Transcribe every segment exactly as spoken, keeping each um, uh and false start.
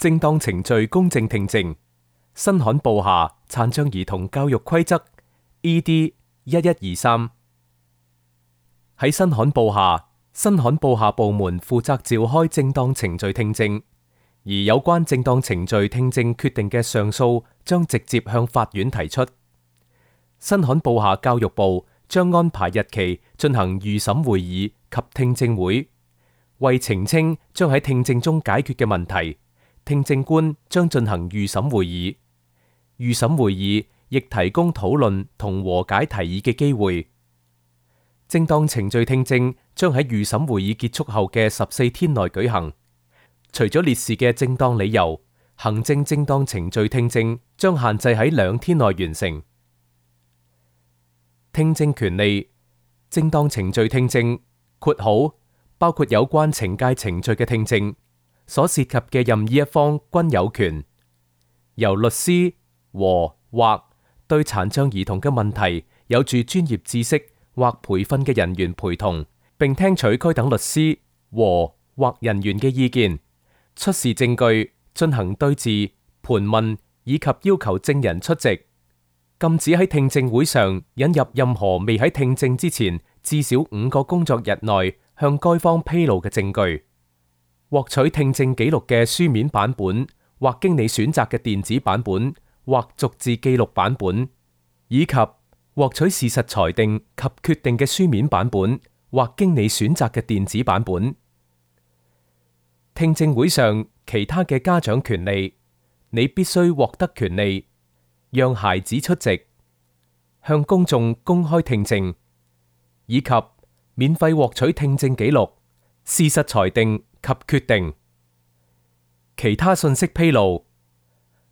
正當程序公正聽證，新罕布夏殘障兒童教育規則 E D 一一二三。喺新罕布夏，新罕布夏部門負責召開正當程序聽證，而有關正當程序聽證決定嘅上訴將直接向法院提出。新罕布夏教育部將安排日期進行預審會議及聽證會，為澄清將喺聽證中解決嘅問題，聽證官將進行預審會議。預審會議亦提供討論同和解提議嘅機會。正當程序聽證將喺預審會議結束後嘅十四天內舉行。除咗列示嘅正當理由，行政正當程序聽證將限制喺兩天內完成。聽證權利，正當程序聽證括號包括有關懲戒程序嘅聽證，所涉及嘅任意一方均有權由律師和或對殘障兒童嘅問題有住專業知識或培訓嘅人員陪同，並聽取該等律師和或人員嘅意見，出示證據，進行對質、盤問以及要求證人出席。禁止喺聽證會上引入任何未喺聽證之前至少五個工作日內向該方披露嘅證據。獲取聽證記錄嘅書面版本，或經你選擇嘅電子版本，或逐字記錄版本，以及獲取事實裁定及決定嘅書面版本，或經你選擇嘅電子版本。聽證會上其他嘅家長權利，你必須獲得權利，讓孩子出席，向公眾公開聽證，以及免費獲取聽證記錄、事實裁定及決定。其他信息披露，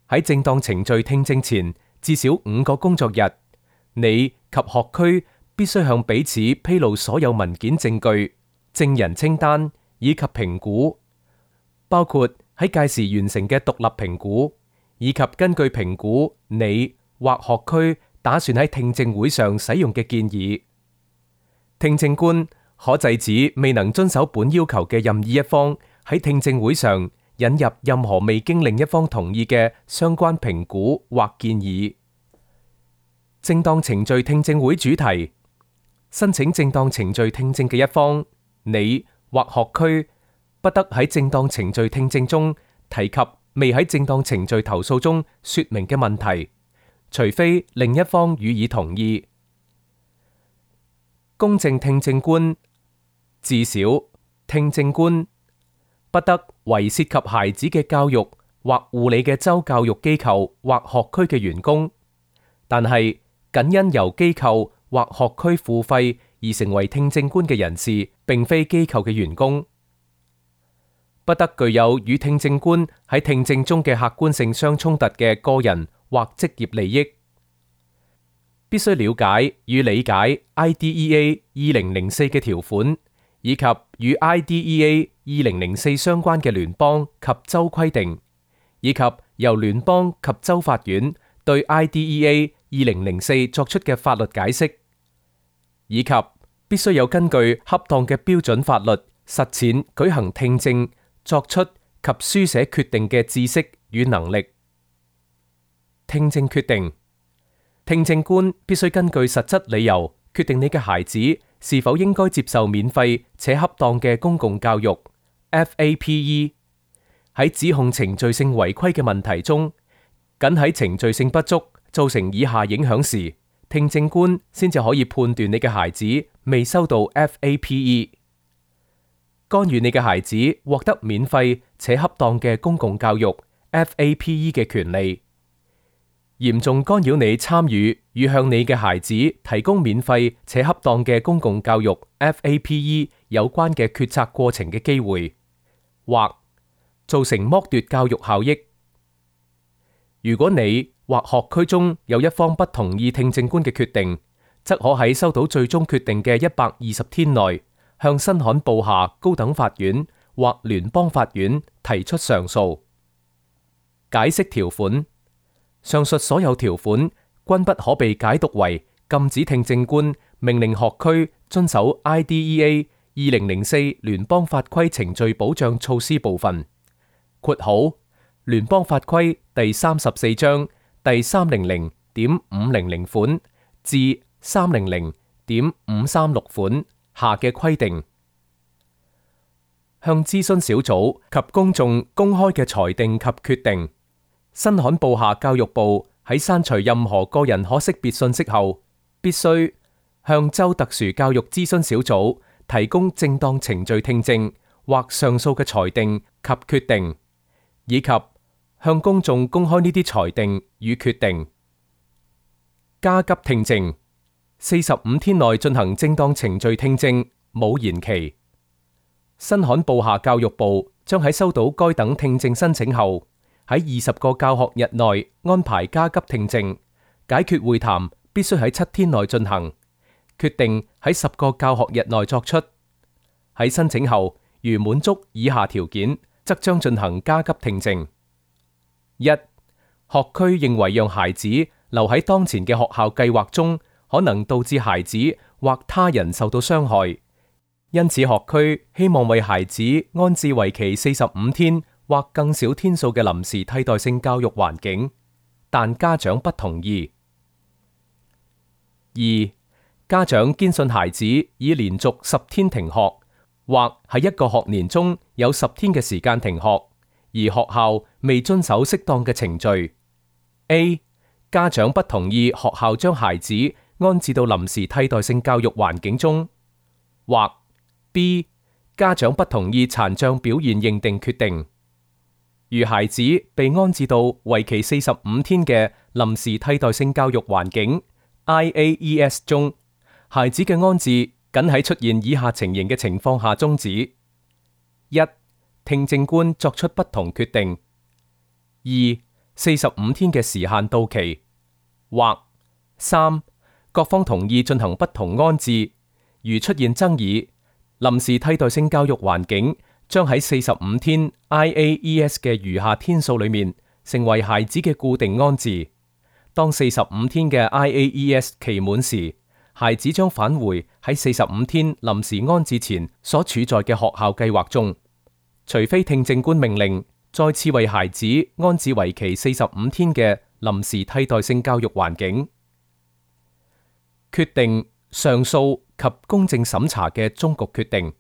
喺正當程序聽證前至少五個工作日，你及學區必須向彼此披露所有文件證據、證人清單以及評估，包括喺屆時完成嘅獨立評估，以及根據評估你或學區打算喺聽證會上使用嘅建議。聽證官可制止未能遵守本要求嘅任意一方喺聽證會上引入任何未經另一方同意嘅相關評估或建議。正當程序聽證會主題，申請正當程序聽證嘅一方，你或學區不得喺正當程序聽證中提及未喺正當程序投訴中說明嘅問題，除非另一方予以同意。公正聽證官，至少聽證官不得為涉及孩子嘅教育或護理嘅州教育機構或學區嘅員工，但係僅因由機構或學區付費而成為聽證官嘅人士，並非機構嘅員工。不得具有與聽證官喺聽證中嘅客觀性相衝突嘅個人或職業利益。必須了解與理解 I D E A 二零零四嘅條款，以及與 I D E A 二零零四相關嘅聯邦及州規定，以及由聯邦及州法院對 I D E A 二零零四作出嘅法律解釋，以及必須有根據恰當嘅標準法律實踐舉行聽證作出及書寫決定嘅知識與能力。聽證決定，聽證官必須根據實質理由決定你嘅孩子是否應該接受免費且恰當嘅公共教育 F A P E。 喺指控程序性違規嘅問題中，僅喺程序性不足造成以下影響時，聽證官先至可以判斷你嘅孩子未收到 F A P E。 干預你嘅孩子獲得免費且恰當嘅公共教育 F A P E 嘅權利，嚴重干擾你參與與向你嘅孩子提供免費且恰當嘅公共教育 F A P E 有關嘅決策過程嘅機會，或造成剝奪教育效益。如果你或學區中有一方不同意聽證官嘅決定，則可喺收到最終決定嘅一百二十天內，向新罕布夏高等法院或聯邦法院提出上訴。解釋條款，上述所有條款均不可被解讀為禁止聽證官命令學區遵守 I D E A 二零零四聯邦法規程序保障措施部分。括號聯邦法規第三十四章第三零零點五零零款至三零零點五三六款下嘅規定。向諮詢小組及公眾公開嘅裁定及決定。新罕布夏教育部喺刪除任何個人可識別信息後，必須向州特殊教育諮詢小組提供正當程序聽證或上訴嘅裁定及決定，以及向公眾公開呢啲裁定與決定。加急聽證，四十五天內進行正當程序聽證，冇延期。新罕布夏教育部將喺收到該等聽證申請後，喺二十個教學日內安排加急聽證。解決會談必須喺七天內進行，決定喺十個教學日內作出。喺申請後，如滿足以下條件，則將進行加急聽證。一、學區認為讓孩子留喺當前嘅學校計劃中，可能導致孩子或他人受到傷害。因此，學區希望為孩子安置為期四十五天或更少天數嘅臨時替代性教育環境，但家長不同意。二、家長堅信孩子已連續十天停學，或喺一個學年中有十天嘅時間停學，而學校未遵守適當嘅程序。A、家長不同意學校將孩子安置到臨時替代性教育環境中，或B、家長不同意殘障表現認定決定。如孩子被安置到為期四十五天嘅臨時替代性教育環境 I A E S 中，孩子嘅安置僅喺出現以下情形嘅情況下終止：一、聽證官作出不同決定；二、四十五天嘅時限到期；或三、各方同意進行不同安置。如出現爭議，臨時替代性教育環境將喺四十五天 I A E S 嘅餘下天數裏面成為孩子嘅固定安置。當四十五天嘅 I A E S 期滿時，孩子將返回喺四十五天臨時安置前所處在嘅學校計劃中，除非聽證官命令再次為孩子安置為期四十五天嘅臨時替代性教育環境。決定、上訴及公正審查嘅終局決定。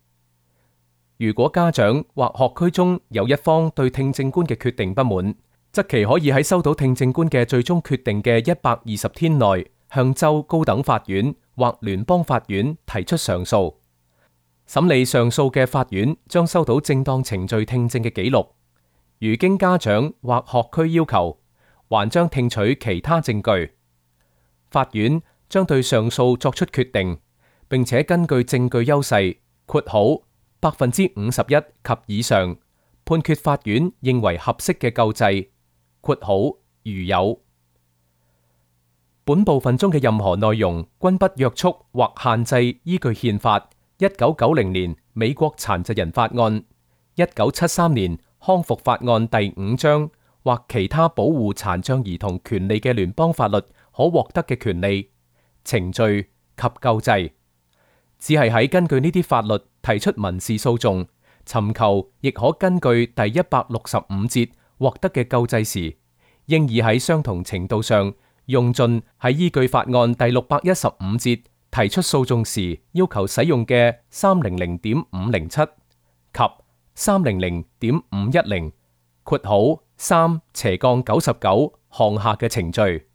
如果家長或學區中有一方對聽證官嘅決定不滿，則其可以喺收到聽證官嘅最終決定嘅一百二十天內，向州高等法院或聯邦法院提出上訴。審理上訴嘅法院將收到正當程序聽證嘅記錄。如經家長或學區要求，還將聽取其他證據。法院將對上訴作出決定，並且根據證據優勢括號百分之五十一及以上，判決法院認為合適嘅救濟括號如有。本部分中嘅任何內容均不約束或限制依據憲法、一九九零年美國殘疾人法案、一九七三年康復法案第五章或其他保護殘障兒童權利嘅聯邦法律可獲得嘅權利、程序及救濟，只係喺根據呢啲法律提出民事訴訟、尋求亦可根據第一百六十五節獲得嘅救濟時，應以喺相同程度上用盡喺依據法案第六百一十五節提出訴訟時要求使用嘅三零零點五零七及三零零點五一零括號三斜槓九十九項下嘅程序。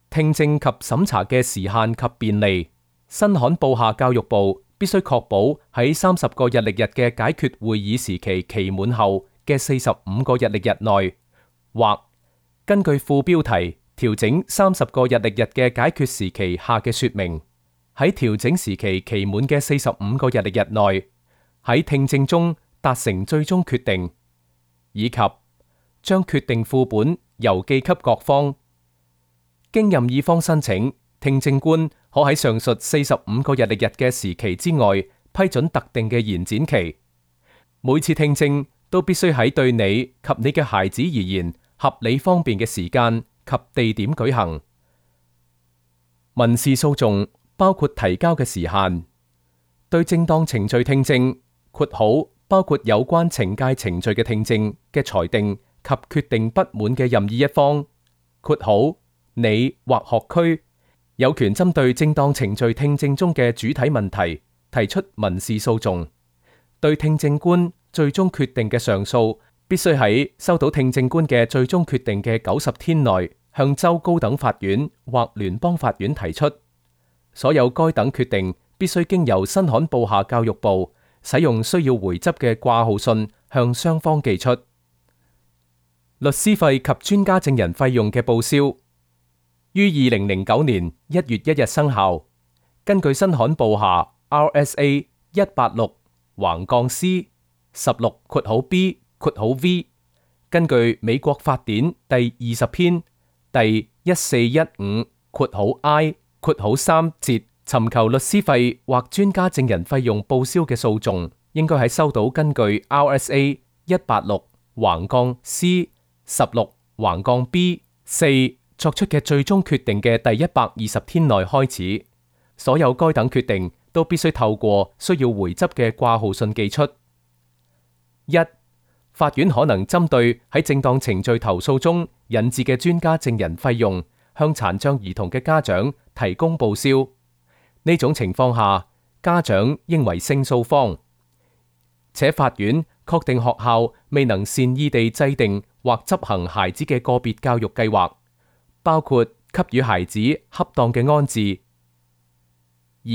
聽證及審查嘅時限及便利。新罕布夏教育部必須確保喺三十個日曆日嘅解決會議時期期滿後嘅四十五個日曆日內，或根據副標題調整三十個日曆日嘅解決時期下嘅說明，喺調整時期期滿嘅四十五個日曆日內，喺聽證中達成最終決定，以及將決定副本郵寄給各方。經任意方申請，聽證官可喺上述四十五個日曆日嘅時期之外批准特定嘅延展期。每次聽證都必須喺對你及你嘅孩子而言合理方便嘅時間及地點舉行。民事訴訟包括提交嘅時限。對正當程序聽證（括號包括有關懲戒程序嘅聽證嘅裁定及決定不滿嘅任意一方（括號你或學區）有權針對正當程序聽證中嘅主體問題提出民事訴訟。對聽證官最終決定嘅上訴，必須喺收到聽證官嘅最終決定嘅九十天內向州高等法院或聯邦法院提出。所有該等決定必須經由新罕布夏教育部使用需要回執嘅掛號信向雙方寄出。律師費及專家證人費用嘅報銷於二零零九年一月一日生效。根據新罕布夏 R S A 一八六橫槓 C 十六括號 B 括號 V， 根據美國法典第二十篇第一四一五括號 I 括號三節，尋求律師費或專家證人費用報銷嘅訴訟，應該喺收到根據 R S A 一八六橫槓 C 十六橫槓 B 四作出嘅最終決定嘅第一百二十天內開始。所有該等決定都必須透過需要回執嘅掛號信寄出。一、法院可能針對喺正當程序投訴中引致嘅專家證人費用，向殘障兒童嘅家長提供報銷。呢種情況下，家長應為勝訴方，且法院確定學校未能善意地制定或執行孩子嘅個別教育計劃，包括給予孩子恰當嘅安置。二、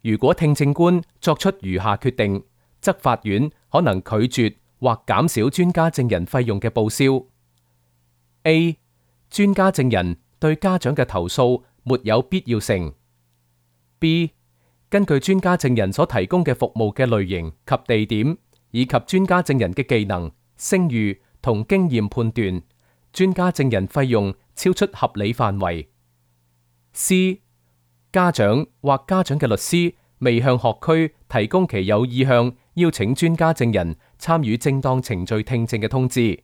如果聽證官作出如下決定，則法院可能拒絕或減少專家證人費用嘅報銷。A. 專家證人對家長嘅投訴沒有必要性。B. 根據專家證人所提供嘅服務嘅類型及地點，以及專家證人嘅技能、聲譽同經驗判斷，專家證人費用超出合理範圍。C. 家長或家長嘅律師未向學區提供其有意向邀請專家證人參與正當程序聽證嘅通知。